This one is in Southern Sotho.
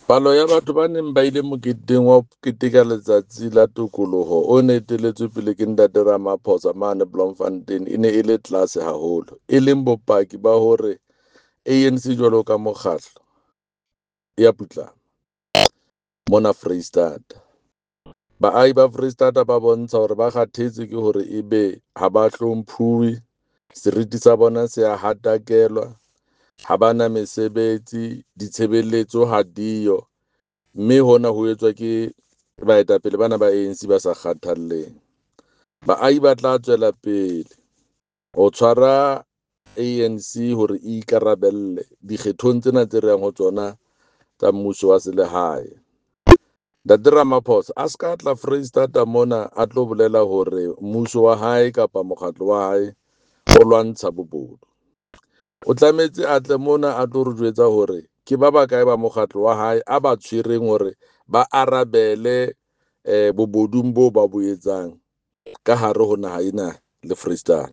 Palo ya batho ba neng ba ile moketeng wa ho keteka letsatsi la tokoloho o ne eteletswe pele ke Ntate Ramaphosa mane Bloemfontein e ne e le tlase haholo, e leng bopaki ba hore ANC jwalo ka mokgatlo e a putlama mona Freistata. Baahi ba Freistata ba bontsha hore ba kgathetse ke hore ebe ha ba hlomphuwe, seriti sa bona se a hatakelwa, ha ba na mesebetsi, ditshebeletso ha diyo, mme hona ho etswa ke baetapele bana ba ANC ba sa kgathalleng. Baahi ba tla tswela pele ho tshwara ANC hore e ikarabelle dikgethong tsena tse re yang ho tsona tsa mmuso wa selehae. Ntate Ramaphosa a se ka tla Freistata mona a tlo bolela hore mmuso wa hae kapa mokgatlo wa hae o lwantsha bobodu. O tlametse a tle mona a tlo re jwetsa hore ke ba bakae ba mokgatlo wa hae a ba tshwereng hore ba arabele bobodung boo ba bo etsang ka hare ho naha ena le Freistata.